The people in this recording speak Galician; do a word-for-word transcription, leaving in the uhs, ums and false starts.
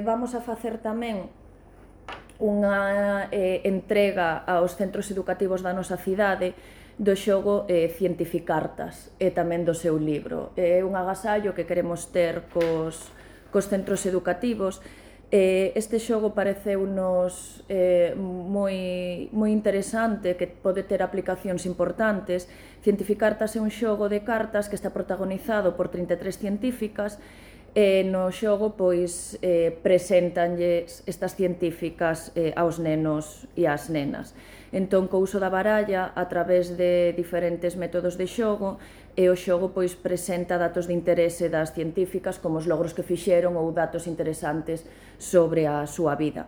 Vamos a facer tamén unha eh, entrega aos centros educativos da nosa cidade do xogo eh, Cientificartas e tamén do seu libro. É un agasallo que queremos ter cos, cos centros educativos. Eh, este xogo pareceunos eh, moi, moi interesante, que pode ter aplicacións importantes. Cientificartas é un xogo de cartas que está protagonizado por trinta e tres científicas, e no xogo pois eh, preséntanlles estas científicas eh, aos nenos e ás nenas. Entón, co uso da baralla, a través de diferentes métodos de xogo, e o xogo pois presenta datos de interese das científicas, como os logros que fixeron ou datos interesantes sobre a súa vida.